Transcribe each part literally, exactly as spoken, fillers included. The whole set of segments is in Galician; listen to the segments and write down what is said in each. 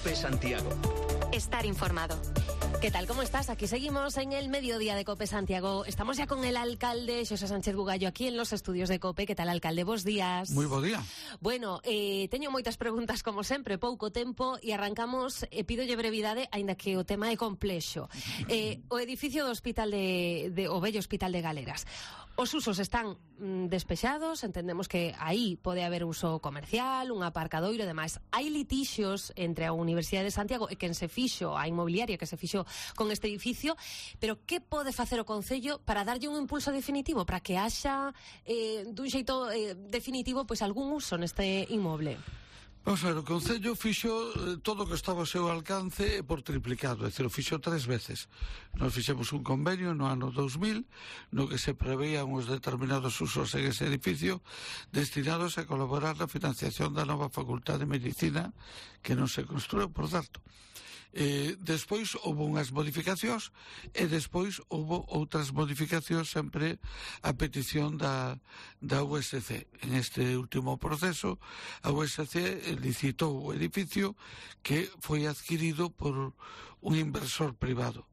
COPE Santiago. Estar informado. ¿Qué tal? ¿Cómo estás? Aquí seguimos en el mediodía de COPE Santiago. Estamos ya con el alcalde Xosé Sánchez Bugallo aquí en los estudios de COPE. ¿Qué tal, alcalde? Bos días. Moi bo día. Bueno, eh, teño moitas preguntas como sempre, pouco tempo e arrancamos, e pídolle brevidade, aínda que o tema é complexo. Eh, o edificio do hospital de, de o vello hospital de Galeras. Os usos están mm, despexados, entendemos que aí pode haber uso comercial, un aparcadoiro e demais. Hai litixios entre a Universidade de Santiago e quen se fixo, a inmobiliaria que se fixo con este edificio, pero que pode facer o Concello para darlle un impulso definitivo, para que haxa eh, dun xeito eh, definitivo pois algún uso neste inmoble? Vamos a ver, o Concello fixo eh, todo o que estaba ao seu alcance por triplicado, é dicir, o fixo tres veces. Nos fixemos un convenio no ano dous mil, no que se preveían os determinados usos en ese edificio destinados a colaborar na financiación da nova Facultade de Medicina que non se construiu, por certo. Eh, despois houve unhas modificacións e despois houve outras modificacións sempre a petición da, da U S C. En este último proceso a U S C licitou o edificio que foi adquirido por un inversor privado.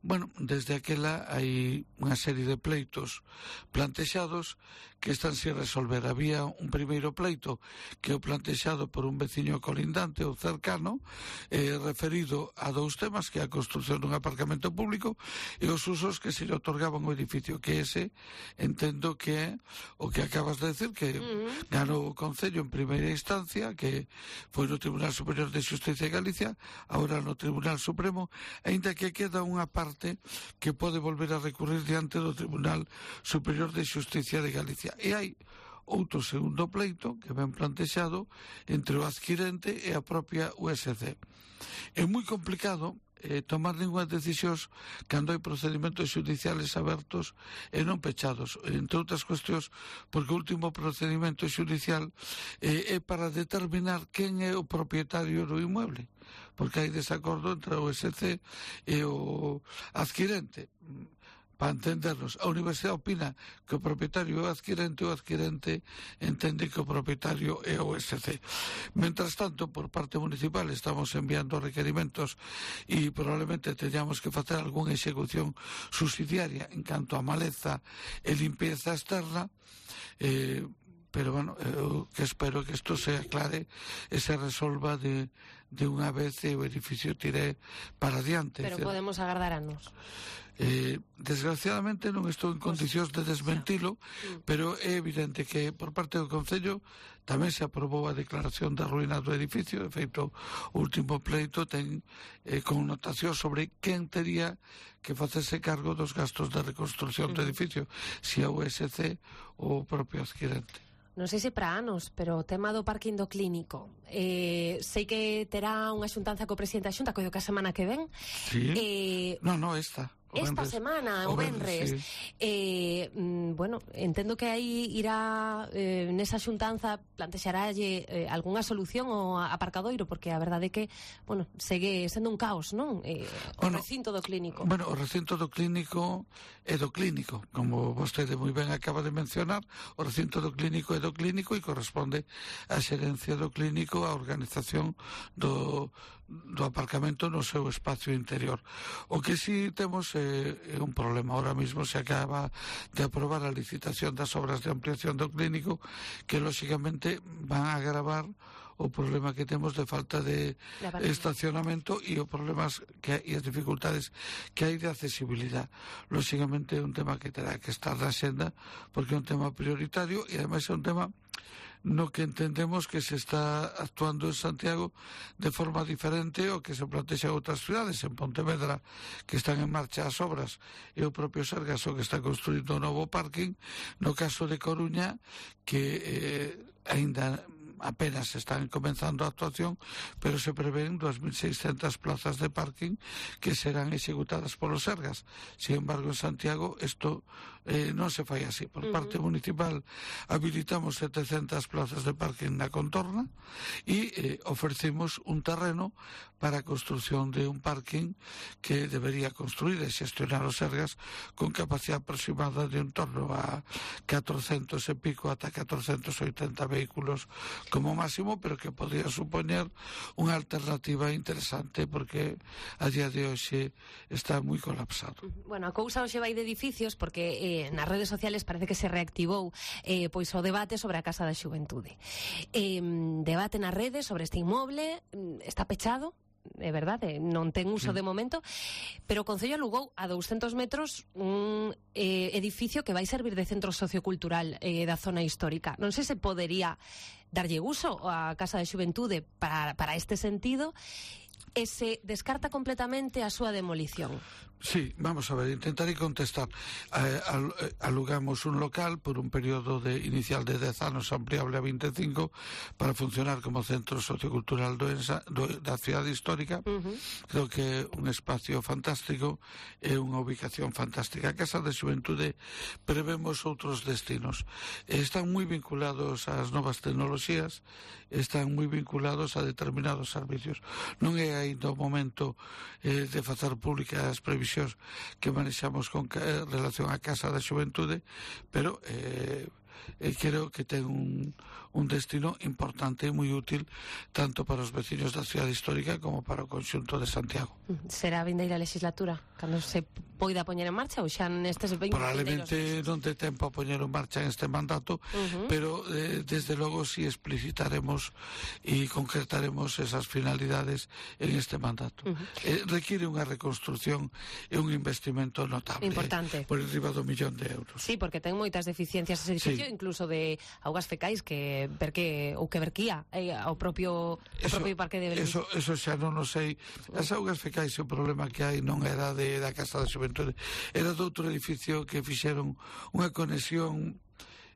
Bueno, desde aquela hai unha serie de pleitos plantexados que están sin resolver. Había un primeiro pleito que o plantexado por un veciño colindante ou cercano eh, referido a dous temas, que é a construción dun aparcamento público e os usos que se lle otorgaban ao edificio, que ese entendo que é o que acabas de decir, que uh-huh. ganou o Concello en primeira instancia, que foi no Tribunal Superior de Xusticia de Galicia, agora no Tribunal Supremo, aínda que queda unha parte que pode volver a recurrir diante do Tribunal Superior de Xusticia de Galicia. E hai outro segundo pleito que ben plantexado entre o adquirente e a propia U S C. É moi complicado eh, tomar ninguna decisións cando hai procedimentos xudiciales abertos e non pechados, entre outras cuestións porque o último procedimento xudicial eh, é para determinar quen é o propietario do inmueble, porque hai desacordo entre a U S C e o adquirente. Para entendernos, a Universidade opina que o propietario é o adquirente, o adquirente entende que o propietario é o U S C. Mentras tanto, por parte municipal estamos enviando requerimentos e probablemente teñamos que facer algunha execución subsidiaria en canto a maleza e limpieza externa, eh, pero bueno, eu que espero que isto se aclare e se resolva de, de unha vez e o edificio tire para diante. Pero podemos agardar anos. Eh, desgraciadamente non estou en condicións de desmentilo, pero é evidente que por parte do Concello tamén se aprobou a declaración da ruína do edificio. De feito, o último pleito ten eh, connotación sobre quen tería que facerse cargo dos gastos de reconstrucción do edificio, se a U S C ou o propio adquirente. Non sei se para anos, pero o tema do parking do clínico, eh, sei que terá unha xuntanza co presidente da Xunta, coido que a semana que ven. Sí. Eh, no, no, esta. Esta semana, o venres, sí. eh, mm, bueno, entendo que aí irá eh, nesa xuntanza plantexaralle eh, algunha solución ao aparcadoiro, porque a verdade é que, bueno, segue sendo un caos, non? Eh, o bueno, recinto do clínico. Bueno, o recinto do clínico é do clínico, como vostede moi ben acaba de mencionar, o recinto do clínico é do clínico e corresponde á xerencia do clínico a organización do, do aparcamento no seu espacio interior. O que si temos é é un problema. Ahora mismo se acaba de aprobar a licitación das obras de ampliación do clínico que lógicamente van a agravar o problema que temos de falta de estacionamento e os problemas que, e as dificultades que hai de accesibilidade. Lógicamente é un tema que terá que estar na senda porque é un tema prioritario e ademais é un tema no que entendemos que se está actuando en Santiago de forma diferente ao que se plantexa en outras cidades. En Pontevedra, que están en marcha as obras, e o propio Sergas o que está construindo un novo parking. No caso de Coruña, que eh, aínda apenas están comenzando a actuación, pero se prevén dúas mil seiscentas plazas de parking que serán executadas polos Sergas. Sin embargo, en Santiago isto eh, non se fai así. Por uh-huh. parte municipal habilitamos setecentas plazas de parking na contorna e eh, ofrecimos un terreno para a construción de un parking que debería construir e xestionar os Sergas con capacidade aproximada de un torno a catrocentos e pico ata catrocentos e oitenta vehículos como máximo, pero que podría supoñer unha alternativa interesante, porque a día de hoxe está moi colapsado. Bueno, a cousa hoxe vai de edificios, porque eh, nas redes sociales parece que se reactivou eh, pois o debate sobre a Casa da Xuventude. Eh, debate nas redes sobre este inmoble, está pechado, é verdade, non ten uso sí. de momento, pero o Concello alugou a douscentos metros un eh, edificio que vai servir de centro sociocultural eh, da zona histórica. Non sei se podería darlle uso á Casa da Xuventude para, para este sentido, e se descarta completamente a súa demolición. Sí, vamos a ver, intentaré contestar. Eh, al, eh, alugamos un local por un periodo de, inicial de dez anos ampliable a veinticinco para funcionar como centro sociocultural do Ensa, do, da cidade histórica. Uh-huh. Creo que é un espacio fantástico e unha ubicación fantástica. A Casa de Xuventude prevemos outros destinos. Están moi vinculados ás novas tecnoloxías, están moi vinculados a determinados servicios. Non é ainda o momento eh, de facer públicas previsións que manexamos con eh, relación á Casa da Xuventude, pero eh, eh, creo que ten un, un destino importante e moi útil tanto para os veciños da cidade histórica como para o conxunto de Santiago. Será a vindeira legislatura cando se poida poñer en marcha ou xa nestes veinte Probablemente non te tempo a poñer en marcha en este mandato, uh-huh. pero eh, desde logo si explicitaremos e concretaremos esas finalidades en este mandato. Uh-huh. eh, requiere unha reconstrucción e un investimento notable, importante, eh, por enriba do millón de euros. Sí, porque ten moitas deficiencias ese edificio, sí. incluso de augas fecais que verque ou que verquía eh, ao propio o eso, propio parque de Belén. Eso, eso xa non o sei. As augas fecais, o problema que hai non era de, da Casa da Xuventude, era de outro edificio que fixeron unha conexión,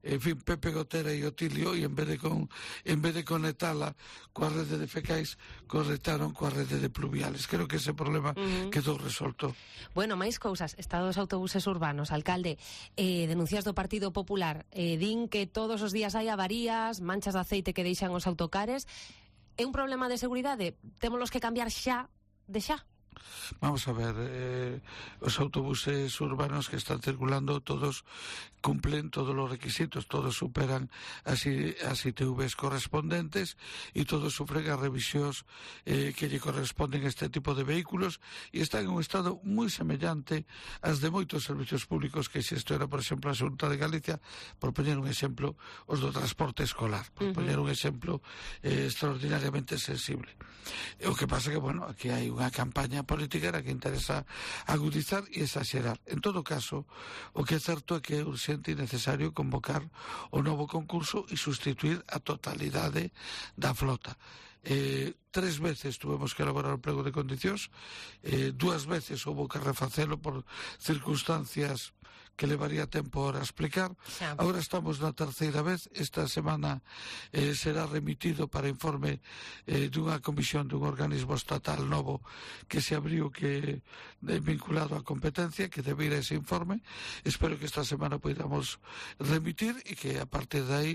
en fin, Pepe Gotera e Otilio, e en vez de con, en vez de conectala coa rede de fecais, conectaron coa rede de pluviales. Creo que ese problema uh-huh. quedou resolto. Bueno, máis cousas. Estado dos autobuses urbanos. Alcalde, eh, denuncias do Partido Popular eh, din que todos os días hai avarías, manchas de aceite que deixan os autocares. É un problema de seguridade? Témolos que cambiar xa de xa? Vamos a ver, eh, os autobuses urbanos que están circulando todos cumplen todos os requisitos, todos superan as, as I T Vs correspondentes e todos sufren as revisións eh, que lle corresponden a este tipo de vehículos e están en un estado moi semellante ás de moitos servicios públicos que xestiona, por exemplo, a Xunta de Galicia, por poñer un exemplo, os do transporte escolar, por uh-huh. poñer un exemplo eh, extraordinariamente sensible. O que pasa que, bueno, aquí hai unha campaña política que interesa agudizar e exagerar. En todo caso, o que é certo é que é urxente e necesario convocar o novo concurso e sustituir a totalidade da flota. Eh, tres veces tuvemos que elaborar o plego de condicións, eh, dúas veces houve que refacelo por circunstancias que levaría tempo ahora a explicar. Xa. Ahora estamos na terceira vez. Esta semana eh, será remitido para informe eh, dunha comisión dun organismo estatal novo que se abriu, que é vinculado á competencia, que debera ese informe. Espero que esta semana podamos remitir e que a partir de aí,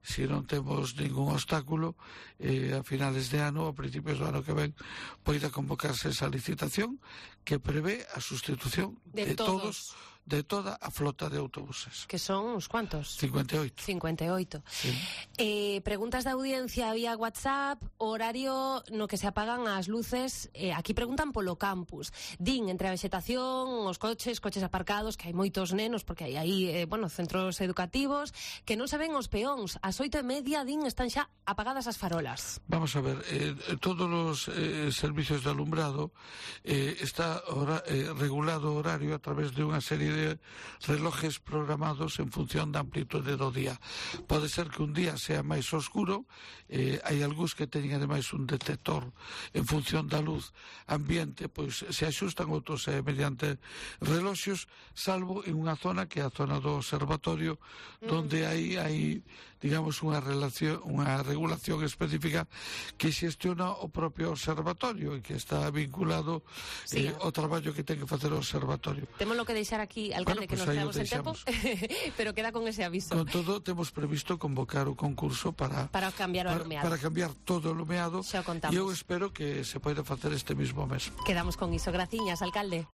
se non temos ningún obstáculo, eh, a finales de ano, a principios do ano que ven, poida convocarse esa licitación que prevé a sustitución de, de todos, todos de toda a flota de autobuses. Que son uns cuantos? cincuenta e oito. cincuenta e oito. Sí. Eh, preguntas da audiencia vía WhatsApp, horario no que se apagan as luces. Eh, aquí preguntan polo campus. Din, entre a vegetación, os coches, coches aparcados, que hai moitos nenos, porque hai aí, eh, bueno, centros educativos, que non se ven os peóns. Ás oito e media, din, están xa apagadas as farolas. Vamos a ver, eh, todos os eh, servicios de alumbrado eh, está hora, eh, regulado o horario a través de unha serie de de relojes programados en función da amplitude do día. Pode ser que un día sea máis oscuro, eh, hai algúns que teñen ademais un detector en función da luz ambiente, pois se axustan, outros eh, mediante reloxos, salvo en unha zona que é a zona do observatorio, mm. donde hai, hai digamos, unha relación, unha regulación específica que xestiona o propio observatorio e que está vinculado sí. eh, ao traballo que ten que facer o observatorio. Temos lo que deixar aquí, alcalde, bueno, que pues nos quedamos en tempo, pero queda con ese aviso. Con todo, temos previsto convocar o concurso para para cambiar o alumeado. Para, para cambiar todo o alumeado. Xa o contamos. E eu espero que se poida facer este mismo mes. Quedamos con iso. Graciñas, alcalde.